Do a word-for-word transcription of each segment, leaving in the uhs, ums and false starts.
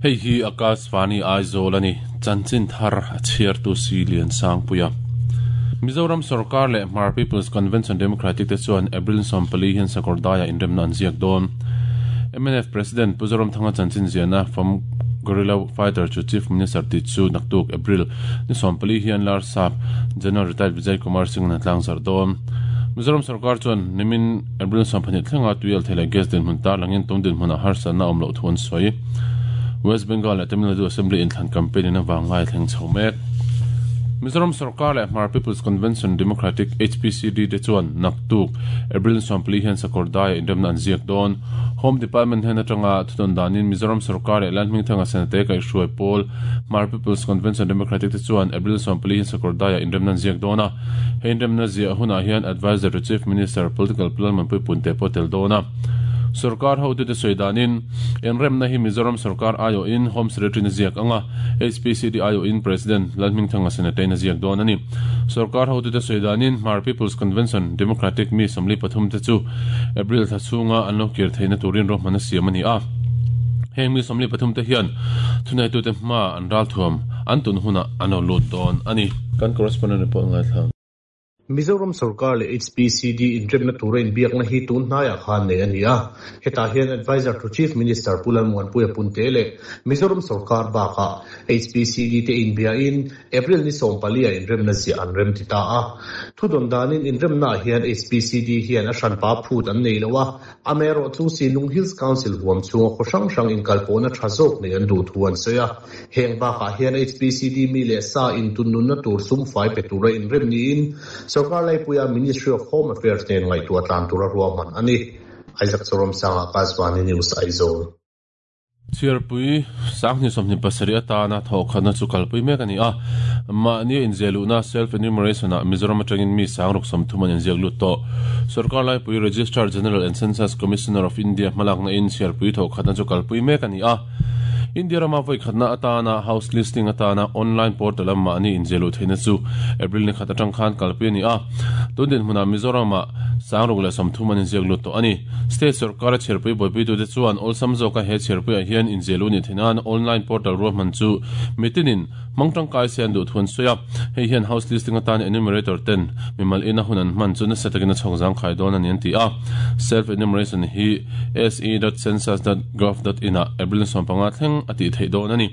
Hei hi Akashvani Aizawl ani chanchin thar a chhiar tu si lian sang puia Mizoram Sarkar leh Hmar People's Convention Democratic te chuan April sawmpali hian Sakawrdaiah inremna an ziak dawn. M N F President Pu Zoramthanga chanchin ziahna from Guerrilla Fighter to Chief Minister ti chu naktuk April ni sawmpali hian lar sap General Retired Vijay Kumar Singh na tlang zar dawn. Mizoram Sarkar chuan nimin April sawmpahnih thlenga tuial thei leh gas dinhmun tar langin tum dinhmun a harsa na awm loh thu an sawi. West Bengal leh Tamil Nadu Assembly inthlan campaign in awangai thleng chho mek. Mizoram Sarkar leh Hmar People's Convention Democratic H P C D te chuan naktuk April sawmpali hian Sakawrdaiah inremna an ziak dawn. Home Department hian atanga thudawn danin Mizoram Sarkar leh Lalhmingthanga Senate kaihhruai pawl Hmar People's Convention Democratic te chuan April sawmpali hian Sakawrdaiah inremna an ziak dawn a. Hei inremna ziah hunah hian Advisor to Chief Minister Political Plan Manpui te pawh tel dawn a. Sarkar ho tu te soidanin enremna hi Mizoram Sarkar ayo in Home Secretary na ziak anga H P C D ayo in President Lalhmingthanga Senate na ziak dawn ani. Sarkar ho tu te soidanin Hmar People's Convention Democratic mi samli pathum te chu April thachunga an lo kir theina turin ro hmana siam ani a. Heng mi samli pathum te hian thunai tu te hma an ral thuam an tun huna an lo lut dawn ani. Kan correspondent report ngai thlang. Mizoram Sarkar leh H P C D inremna tura inbiakna hi tun hnaiah khan nei ani a. Hetah hian Advisor to Chief Minister Pu Lalmuanpuia Punte leh Mizoram Sarkar bakah H P C D te inbiain April ni sawmpali a inremna ziah an rem ti ta a. Thudawn danin inremna hian H P C D hian a hranpa phut an nei lo a. Amaherawh chu Sinung Hills Council huam chhunga khaw hrang hrang inkalpawhna tha zawk nei an duh thu an sawi a. Heng bakah hian H P C D mi leh sa intunnunna tur sum fai pe tura inrem niin Sarkar Laipuia Ministry of Home Affairs nen ngaihtuah tlan tura ruahman ani. Isaac Chorom Sanga Akashvani News Aizawl. Chhiarpui sanghni sawmhnih pasarih atana thawhkhatna chu kalpui mek ani a. Mahni inziahluna self enumeration ah Mizoram atangin mi sangruk sawmthum an inziak lut tawh. Sarkar Laipui Registrar General and Census Commissioner of India hmalakna in chhiarpui thawhkhatna chu kalpui mek ani a. India rama voi khatna atana house listing atana online portal a mahni inziahluh theihna chu April ni khat atang khan kalpui ani a. Tun dinhmunah Mizoram ah sangruk leh sawmthum an inziak lut tawh ani. State Sarkar a chhiarpui buaipui tu te chuan awlsam zawka he chhiarpui ah hian inziahluh ni theihnan online portal ruahman chu mitinin mangtang kai se an duh thu an sawi a. Hei hian house listing atana enumerator ten mimal ina hun an hman chu nasa takin a chhawk zang khai dawn ani an ti a. Self enumeration hi s e dot census dot gov dot in ah April sawmpanga thleng a ti theih dawn ani.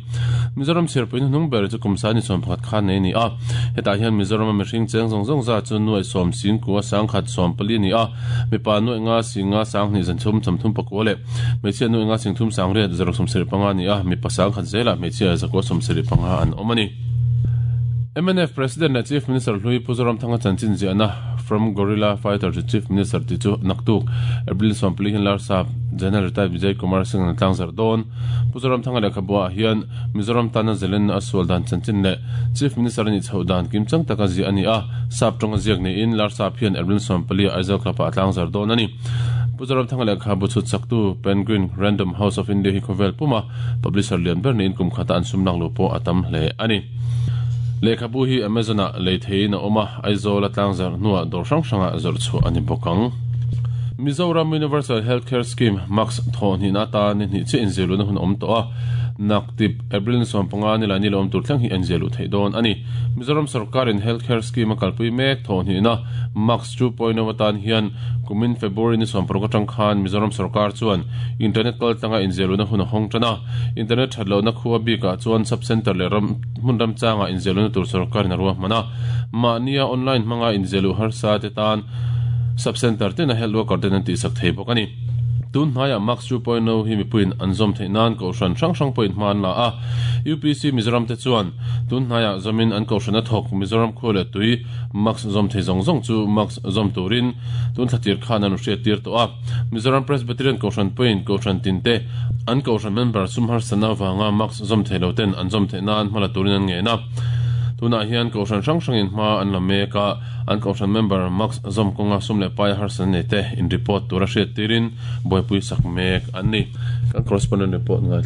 Mizoram chhiarpui hnung ber chu kumsa ni sawmpakhat khan nei ani a. Hetah hian Mizoram a mihring cheng zawng zawng za chu nuai sawm singkua sangkhat sawmpali ani a. Mipa nuai nga singa sanghnih zanthum sawmthum pakua leh hmeichhia nuai nga singthum sangriat zaruk sawmsarih panga ani a. Mipa sangkhat zelah hmeichhia zakua sawmsarih panga an awm ani. M N F President leh Chief Minister Hlui Pu Zoramthanga chanchin ziahna from Guerrilla Fighter to Chief Minister ti chu naktuk April sawmpali hian lar sap General Retired Vijay Kumar Singh na tlang zar dawn. Pu Zoramthanga lehkhabuah hian Mizoram tana zelen a sual dan chanchin leh Chief Minister ani chho dan kimchang taka ziah ani a. Sap tawng a ziak niin lar sap hian April sawmpali Aizawl Club ah a tlang zar dawn ani. Pu Zoramthanga lehkhabu chhut chaktu Penguin Random House of India hi khawvel puma publisher lian ber niin kum khata an sum lak lu pawh a tam hle ani. Lehkhabu hi Amazon ah lei theiin a awm a. Aizawl a tlang zar hnuah dawr hrang hrangah zawrh chhuah ani bawk ang. Mizoram Universal Healthcare Scheme Max thawhhnihna atan ni hnih chiah inziahluna hun awm tawh a. Naktip April ni sawmpanga ni lai ni lo awm tur thleng hi a inziahluh theih dawn ani. Mizoram Sarkarin Healthcare Scheme a kalpui mek thawhhnihna Max two point oh atan hian kumin February ni sawmparuk atang khan Mizoram Sarkar chuan internet kaltlanga inziahluna hun a hawng tan a. Internet thatlohna khua bikah chuan sub center leh ram hmun ram changa inziahluna tur sarkarin a ruahman a. Mahnia online hmanga inziahluh harsa te tan sub center ten a health worker ten an tihsak thei bawk ani. Tun hnaiah Max two point oh hi mipuiin an zawm theih nan kohhran hrang hrang pawhin hma an la a. U P C Mizoram te chuan tun hnaiah zawmin an kohhran a thawk Mizoram khua leh tui Max zawm thei zawng zawng chu Max zawm turin tun thlatir khan an hriat tir tawh a. Mizoram Presbyterian kohhran pawhin kohhran tin te an kohhran member sum harsana awanga Max zawm thei lo ten an zawm theih nan hma la turin an ngen a. Tunah hian kohhran hrang hrangin hma an la mek a. An kohhran member Max zawm kawnga sum leh pai harsan nei te in report tura hriat tirin buaipui sak mek an ni. Kan correspondent report ngai.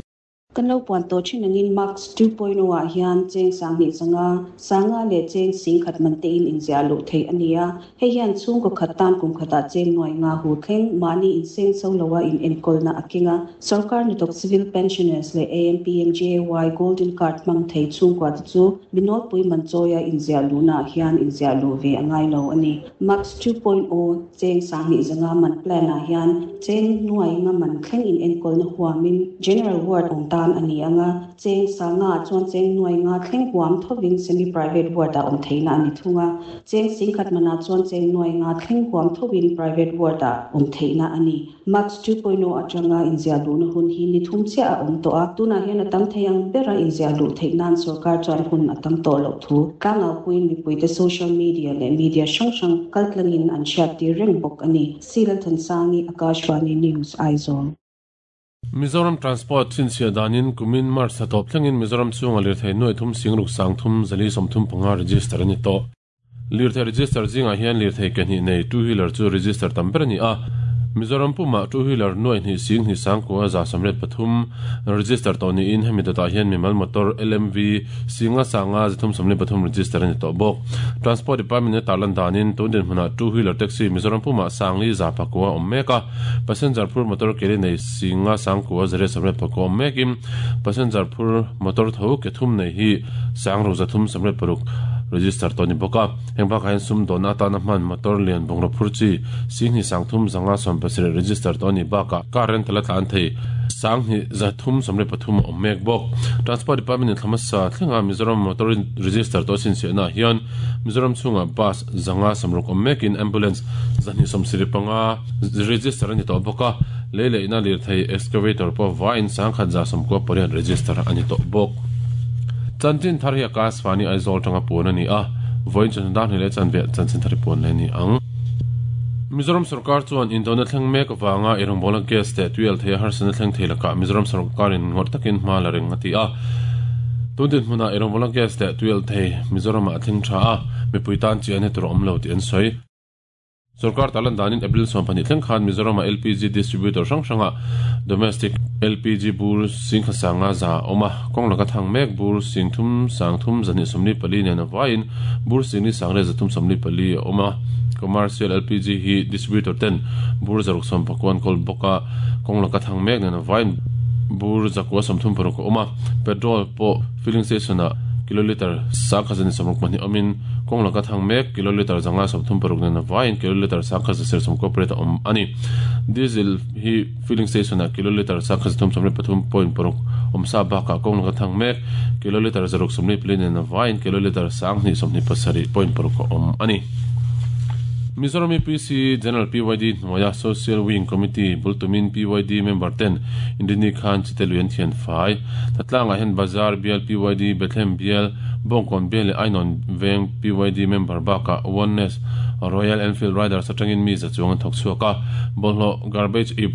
Kan lo puan to thin angin Max two point oh ah hian cheng sang ni zanga sanga le cheng sing khat man te in inzia lu thei ania hei hian chung ko khat tan kum khata cheng noi nga hu thleng mani in seng so lowa in enkol na akinga sarkar ni tok civil pensioners le A M P M J A Y golden card mang thei chung kwa chu binol pui man choya inzia lu na hian inzia lu ve angai lo ani Max two point oh cheng sang ni zanga man plan a hian cheng nuai nga man thleng in enkol na huamin general ward ong ta ani anga cheng sanga chuan cheng nuai nga thleng huam thovin semi private ward a om theina ani thunga cheng singkhat mana chuan cheng nuai nga thleng huam thovin private ward a om theina ani Max two point oh atanga inzia lu na hun hi ni thum che a om to a tuna hian atam theiang bera inzia lu theinan sarkar chuan hun atam to lo thu kanga puin mi puite social media le media sang sang kaltlangin an chat ti reng bok ani Silal Thansangi Akashvani News Aizawl. Mizoram Transport chinchia danin kumin March atop thlengin Mizoram chunga lirthei nuai thum singruk sang thum zali somthum panga register ani to lirthei register zinga hian lirthei ke hnih nei two wheeler chu register tam ber ani a Mizoram puma two wheeler nuai hnih sing hnih sang ko za samret pathum register to ni in hemi data hian mimal motor L M V singa sanga zathum samle pathum register ani to bok Transport Department ne talan danin tun din hmuna two wheeler taxi Mizoram puma sangli za pakwa ommeka passenger phur motor kele nei singa sang ko zare samret pakwa ommekim passenger phur motor tho ke thum nei hi sangro zathum samret paruk register to ni boka hengba khain sum dona ta na man motor lian bongro phurchi singhi sangthum zanga som pasre register to ni baka current la tlan thei sanghi zathum somre pathum omek bok Transport Department in thamasa thlenga Mizoram motor register to sin se na hian Mizoram chunga bus zanga samruk omek in ambulance zani somsiri panga register ani to boka lele ina lir thei excavator po vain sangkhat za somko porian register ani to bok Chanchin thar hi Akashvani Aizawl tanga pon ani a voin chan dan hele chan ve chanchin thar pon le ni ang Mizoram sarkar chuan indona thleng mek awanga irongbola gas te tuel thei harsana thleng thei laka Mizoram sarkarin ngor takin hma la ring ati a tundin hmuna irongbola gas te tuel thei Mizoram a thleng tha a mipui tan chi ani tur awm lo ti an sawi Sarkar talan danin April sompani thleng khan Mizoram L P G distributor sang sanga domestic L P G bur sing khasanga za oma kong laka thang mek bur sing thum sang thum zani somni pali ne na wain bur sing ni sangre zathum somni pali oma commercial L P G hi distributor ten bur zaruk som pakwan kol boka kong laka thang mek ne na wain bur zakwa somthum paruk oma petrol po filling station a kiloliter sakha zani somruk mani omin kong laka thang mek kiloliter zanga somthum paruk ne na wain kiloliter sakha ser somko preta om ani diesel hi filling station a kiloliter sakha thum somre pathum point paruk om sa ba ka kong laka thang mek kiloliter zaruk somni plane na wain kiloliter sangni somni pasari point paruk om ani Mizoram P C General P Y D Noya Social Wing Committee Bultumin P Y D member ten Indini Khan Chiteluan Thian Fai Tatlanga hen Bazar B L P Y D Bethlehem B L Bongkon B L Ainon Veng P Y D member baka Oneness Royal Enfield Riders atangin mi za chuang thok chuaka bolho garbage ip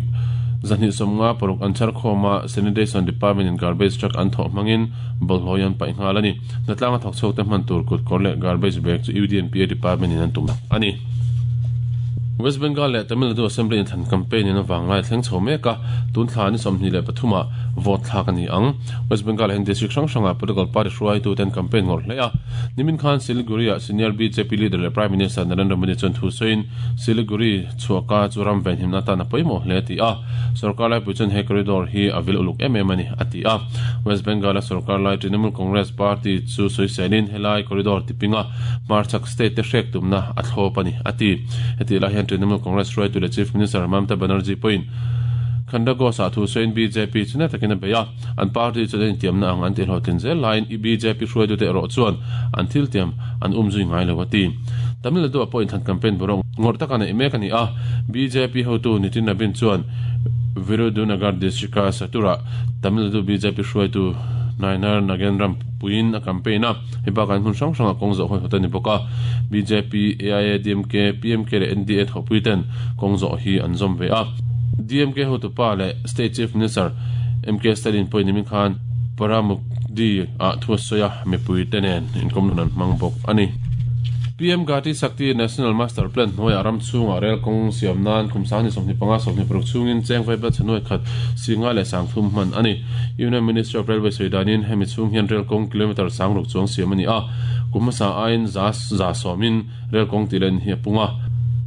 zani somnga paruk anchar khoma sanitation department in garbage truck an tho mangin bolhoyan pai ngalani natlanga thok chok te man tur kut korle garbage bag chu U D N P A department in an tum ani West Bengal le Tamil Nadu Assembly in than campaign in awanglai thleng chho meka tun thla ni somhni le pathuma vote thla ka ni ang West Bengal hen district hrang hranga political party hruai tu ten campaign ngor hle a nimin khan Siliguri a senior B J P leader le Prime Minister Narendra Modi chuan thu sawiin Siliguri chhuaka churam ven himna ta na pawimawh hle ti a sarkar lai pui chuan he corridor hi a vil uluk em em ani ati a West Bengal a sarkar lai Trinamool Congress Party chu sawiselin helai corridor tipinga Marchak state te hrek tumna a thlawp ani ati heti lai hian Trinamool Congress hruai tu le Chief Minister Mamata Banerjee point Khandago sa thu sawiin B J P chuna takina beia an party chu den tiamna ang an ti hlawhtlin zel laiin i B J P hruai tu te erawh chuan an thil tiam an um zui ngai lo ati Tamil Nadu a point han campaign borong ngor taka nei mek ani a B J P hotu Nitin Nabin chuan Virudhunagar district a Satura Tamil Nadu B J P hruai tu Nainar Nagendram puin a campaign a heba kan hun hrang hranga kawng zawh hawi hawt ani bawk a B J P A I A D M K P M K leh N D A thawhpui ten kawng zawh hi an zawm ve a D M K hotupa leh State Chief Minister M K Stalin pawhin nimin khan Paramukdi a thu a sawi a mipui te nen inkawm nun an hmang bawk ani. P M Gati Shakti National Master Plan hnuaiah ram chhungah rel kawng siam nan kum sang ni sawmhnih panga sawmhnih paruk chhungin cheng vaibel chhanuai khat singa leh sangthum hman a ni. Union Ministry of Railway sawi danin hemi chhung hian rel kawng kilometre sang ruk chuang siam a ni a, kum hmasa aiin za za sawmin rel kawng tih len hi a pung a.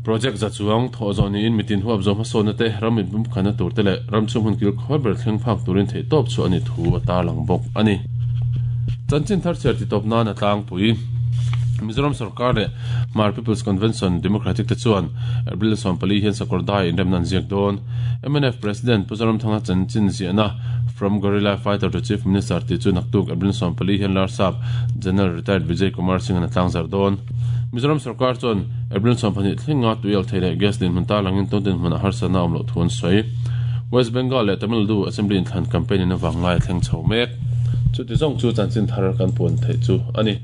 Project za chuang thawh zawh niin mitin huap zawh hmasawnna te, ram inpum khanna tur te leh ram chhung hun kil khawi ber thleng phak turin theihtawp chhuah a ni thu a tarlang bawk a ni. Chanchin thar chhiar titawp nan a tlangpui. Mizoram sorkar leh Hmar People's Convention Democratic te chuan April sawm pali hian sakawr dai inremna an ziak dawn. M N F President Pu Zoramthanga chanchin ziahna From Guerrilla Fighter to Chief Minister tih chu naktuk April sawm pali hian Larsap General Retired Vijay Kumar Singh an a tlangzar dawn. Mizoram sorkar chuan April sawm pahnih thlenga tui alh thei leh gas dinhmun tarlangin tun dinhmunah harsatna a awm loh thu an sawi. West Bengal leh Tamil Nadu Assembly inthlan campaign in avang lai a thleng chho mek. Chuti zawng chu chanchin thar kan puan theih chu a ni.